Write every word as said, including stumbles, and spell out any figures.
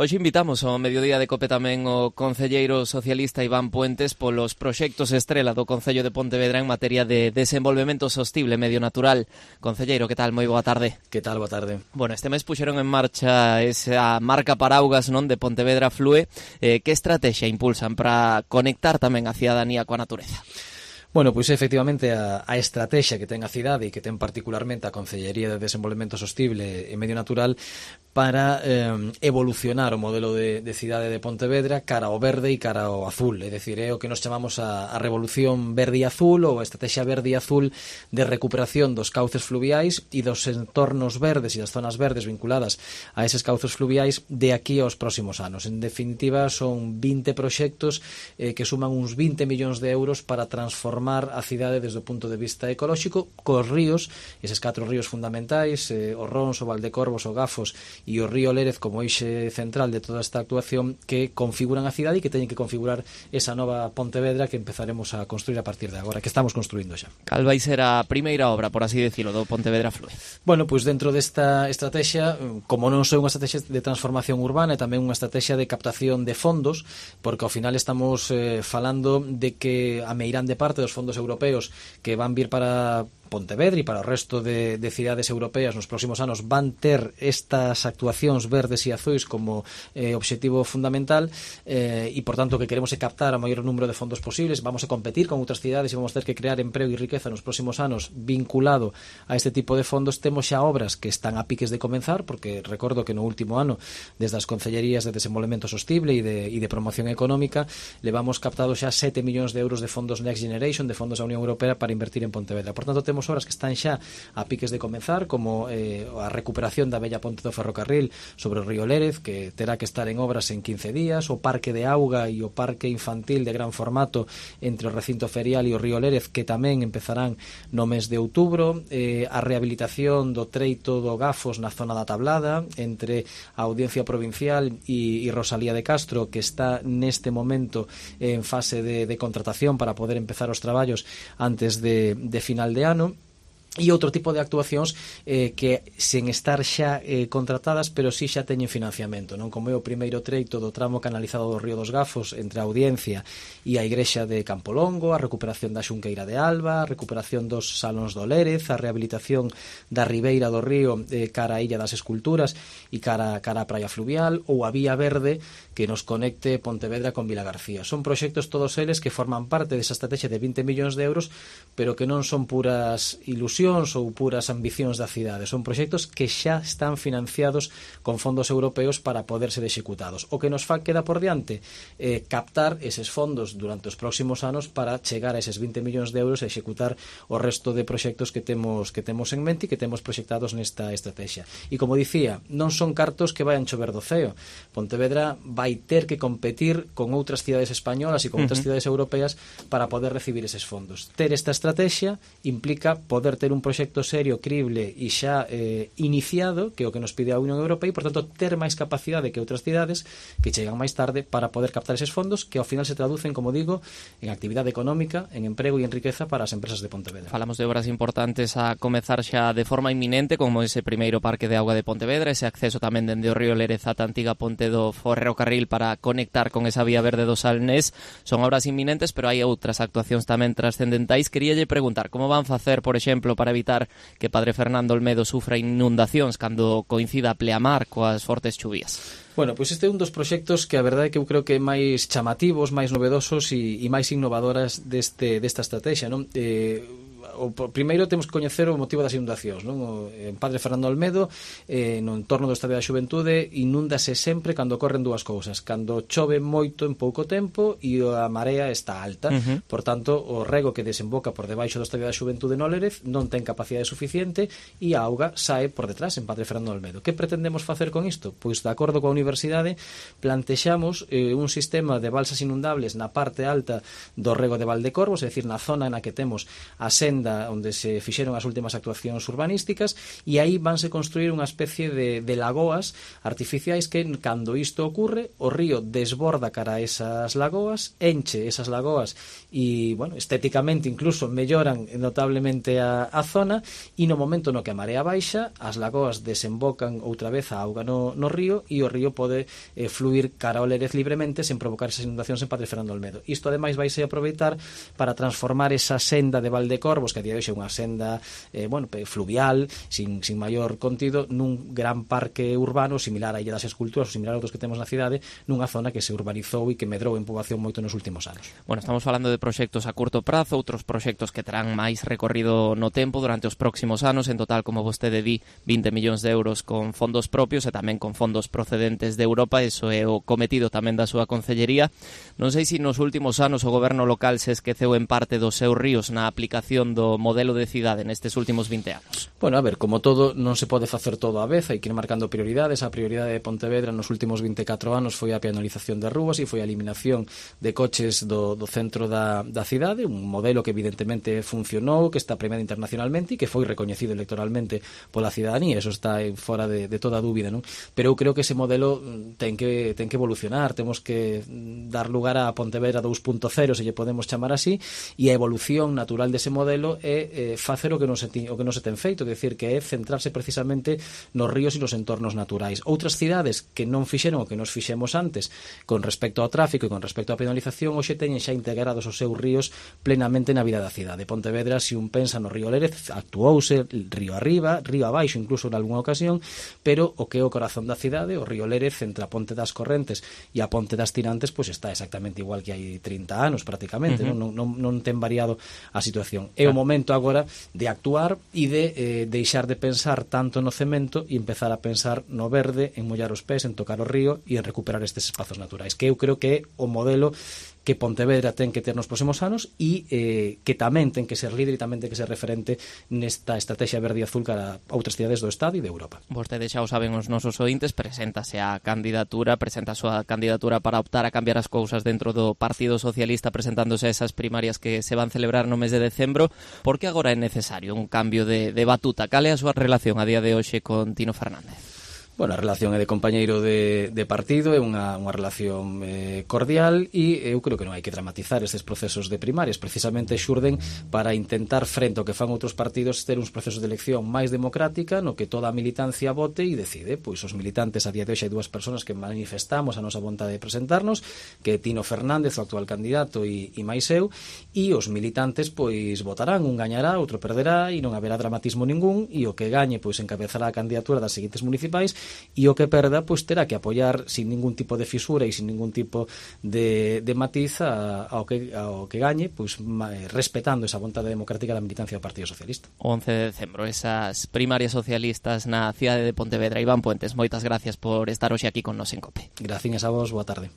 Hoxe invitamos ao mediodía de Cope tamén o concelleiro socialista Iván Puentes polos proxectos estrela do Concello de Pontevedra en materia de desenvolvemento sostible medio natural. Concelleiro, que tal? Moi boa tarde. Que tal? Boa tarde. Bueno, este mes puxeron en marcha esa marca paraugas, non, de Pontevedra Flúe. Eh, que estrategia impulsan para conectar tamén a cidadanía coa natureza? Bueno, pois efectivamente a, a estrategia que ten a cidade e que ten particularmente a Concellería de Desenvolvemento Sostible e Medio Natural para eh, evolucionar o modelo de, de cidade de Pontevedra cara ao verde e cara ao azul, é dicir, é o que nos chamamos a, a revolución verde e azul ou a estrategia verde e azul de recuperación dos cauces fluviais e dos entornos verdes e das zonas verdes vinculadas a eses cauces fluviais de aquí aos próximos anos. En definitiva, son vinte proxectos eh, que suman uns vinte millóns de euros para transformar a cidade desde o punto de vista ecolóxico cos ríos, eses catro ríos fundamentais, eh, o Rons, o Valdecorvos, o Gafos e o río Lérez como eixe central de toda esta actuación que configuran a cidade e que teñen que configurar esa nova Pontevedra que empezaremos a construir a partir de agora, que estamos construindo xa. Cal vai ser a primeira obra, por así decirlo, do Pontevedra Flúe? Bueno, pois dentro desta estrategia, como non só unha estrategia de transformación urbana, é tamén unha estrategia de captación de fondos, porque ao final estamos eh, falando de que a meirande parte dos fondos europeos que van vir para Pontevedra e para o resto de, de cidades europeas nos próximos anos van ter estas actuacións verdes e azuis como eh, obxectivo fundamental eh, e, por tanto, que queremos é captar o maior número de fondos posibles. Vamos a competir con outras cidades e vamos ter que crear emprego e riqueza nos próximos anos vinculado a este tipo de fondos. Temos xa obras que están a piques de comenzar, porque recordo que no último ano, desde as Concellerías de Desenvolvemento Sostible e de, e de Promoción Económica, levamos captado xa sete millóns de euros de fondos Next Generation, de fondos da Unión Europea para invertir en Pontevedra. Por tanto, temos obras que están xa a piques de comenzar, como eh, a recuperación da bella ponte do ferrocarril sobre o río Lérez, que terá que estar en obras en quince días, o parque de auga e o parque infantil de gran formato entre o recinto ferial e o río Lérez, que tamén empezarán no mes de outubro, eh, a rehabilitación do treito do Gafos na zona da Tablada, entre a Audiencia Provincial e, e Rosalía de Castro, que está neste momento en fase de, de contratación para poder empezar os traballos antes de, de final de ano. E outro tipo de actuacións eh, que sen estar xa eh, contratadas, pero si xa teñen financiamento, non? Como é o primeiro treito do tramo canalizado do Río dos Gafos entre a Audiencia e a Igrexa de Campolongo, a recuperación da Xunqueira de Alba, a recuperación dos Salóns do Lérez, a rehabilitación da Ribeira do Río eh, cara a Illa das Esculturas e cara, cara a Praia Fluvial, ou a Vía Verde que nos conecte Pontevedra con Vilagarcía. Son proxectos todos eles que forman parte desa estrategia de vinte millóns de euros, pero que non son puras ilusións ou puras ambicións da cidade. Son proxectos que xa están financiados con fondos europeos para poder ser executados. O que nos fa queda por diante eh, captar eses fondos durante os próximos anos para chegar a eses vinte millóns de euros e executar o resto de proxectos que temos que temos en mente e que temos proxectados nesta estrategia. E como dicía, non son cartos que vayan chover do ceo. Pontevedra vai ter que competir con outras cidades españolas e con uh-huh. outras cidades europeas para poder recibir eses fondos. Ter esta estrategia implica poder ter un proxecto serio, crible e xa eh, iniciado, que é o que nos pide a Unión Europea, e, por tanto, ter máis capacidade que outras cidades que chegan máis tarde para poder captar eses fondos que ao final se traducen, como digo, en actividade económica, en emprego e en riqueza para as empresas de Pontevedra. Falamos de obras importantes a comezar xa de forma inminente, como ese primeiro parque de auga de Pontevedra, ese acceso tamén dende o río Lérez ata a antiga ponte do ferrocarril para conectar con esa vía verde do Salnés. Son obras inminentes, pero hai outras actuacións tamén trascendentais. Queríalle preguntar como van facer, por exemplo, para evitar que Padre Fernando Olmedo sufra inundacións cando coincida a pleamar coas fortes chuvías. Bueno, pois este é un dos proxectos que a verdade é que eu creo que é máis chamativos, máis novedosos e, e máis innovadoras deste, desta estrategia, non? Eh, o primeiro temos que coñecer o motivo das inundacións, non? O, en Padre Fernando Olmedo, eh, no entorno do Estadio da Xuventude, inúndase sempre cando ocorren dúas cousas: cando chove moito en pouco tempo e a marea está alta. Uh-huh. Por tanto, o rego que desemboca por debaixo do Estadio da Xuventude no Lérez non ten capacidade suficiente e a auga sae por detrás en Padre Fernando Olmedo. Que pretendemos facer con isto? Pois, de acordo coa Universidade, plantexamos eh, un sistema de balsas inundables na parte alta do rego de Valdecorvos, é dicir, na zona na que temos a senda la, onde se fixeron as últimas actuacións urbanísticas, e aí vanse construir unha especie de, de lagoas artificiais que, cando isto ocurre, o río desborda cara a esas lagoas, enche esas lagoas e, bueno, estéticamente incluso melloran notablemente a, a zona, e no momento no que a marea baixa, as lagoas desembocan outra vez a auga no, no río, e o río pode eh, fluir cara ao Lérez libremente sen provocar esas inundacións en Padre Fernando Olmedo. Isto ademais vai se aproveitar para transformar esa senda de Valdecorvos, que a día de hoxe é unha senda eh, bueno, fluvial, sin, sin maior contido, nun gran parque urbano similar a Illa das Esculturas ou similar a outros que temos na cidade, nunha zona que se urbanizou e que medrou en poboación moito nos últimos anos. Bueno, estamos falando de proxectos a curto prazo, outros proxectos que terán máis recorrido no tempo durante os próximos anos, en total, como vostede di, vinte millóns de euros con fondos propios e tamén con fondos procedentes de Europa. Eso é o cometido tamén da súa concellería. Non sei se nos últimos anos o goberno local se esqueceu en parte dos seus ríos na aplicación do modelo de cidade nestes últimos vinte anos. Bueno, a ver, como todo, non se pode facer todo á vez, hai que ir marcando prioridades. A prioridade de Pontevedra nos últimos vinte e catro anos foi a peonalización das rúas e foi a eliminación de coches do, do centro da, da cidade, un modelo que evidentemente funcionou, que está premiado internacionalmente e que foi recoñecido electoralmente pola cidadanía, eso está fora de, de toda dúbida, non? Pero eu creo que ese modelo ten que, ten que evolucionar, temos que dar lugar a Pontevedra dos punto cero, se lle podemos chamar así, e a evolución natural dese modelo é eh, facer o que non se, o que non se ten feito, é dicir, que é centrarse precisamente nos ríos e nos entornos naturais. Outras cidades que non fixeron o que nos fixemos antes con respecto ao tráfico e con respecto á penalización, hoxe teñen xa integrados os seus ríos plenamente na vida da cidade. Pontevedra, se un pensa no río Lérez, actuouse río arriba, río abaixo, incluso en algunha ocasión, pero o que é o corazón da cidade, o río Lérez, entre a Ponte das Correntes e a Ponte das Tirantes, pois está exactamente igual que hai trinta anos prácticamente, uh-huh. non, non, non ten variado a situación. É o momento agora de actuar e de eh, deixar de pensar tanto no cemento e empezar a pensar no verde, en mollar os pés, en tocar o río e en recuperar estes espazos naturais, que eu creo que é o modelo que Pontevedra ten que ter nos próximos anos e eh, que tamén ten que ser líder e tamén ten que ser referente nesta estrategia verde e azul cara a outras cidades do Estado e de Europa. Vostede xa o saben os nosos ointes, preséntase a candidatura, presenta a súa candidatura para optar a cambiar as cousas dentro do Partido Socialista, presentándose a esas primarias que se van celebrar no mes de decembro. Por que agora é necesario un cambio de, de batuta? Cal é a súa relación a día de hoxe con Tino Fernández? Bueno, a relación é de compañeiro de, de partido, é unha, unha relación eh, cordial e eu creo que non hai que dramatizar estes procesos de primarias, precisamente xurden para intentar, frente ao que fan outros partidos, ter uns procesos de elección máis democrática no que toda a militancia vote e decide. Pois os militantes, a día de hoxe hai dúas persoas que manifestamos a nosa vontade de presentarnos, que é Tino Fernández, o actual candidato, e, e máis eu, e os militantes pois votarán, un gañará, outro perderá e non haberá dramatismo ningún, e o que gañe pois encabezará a candidatura das seguintes municipais e o que perda pois terá que apoiar sin ningún tipo de fisura e sin ningún tipo de, de matiz a, ao, que, ao que gañe, pois respetando esa vontade democrática da militancia do Partido Socialista. O once de decembro, esas primarias socialistas na cidade de Pontevedra. Iván Puentes, moitas gracias por estar hoxe aquí con nos en COPE. Gracias a vos, boa tarde.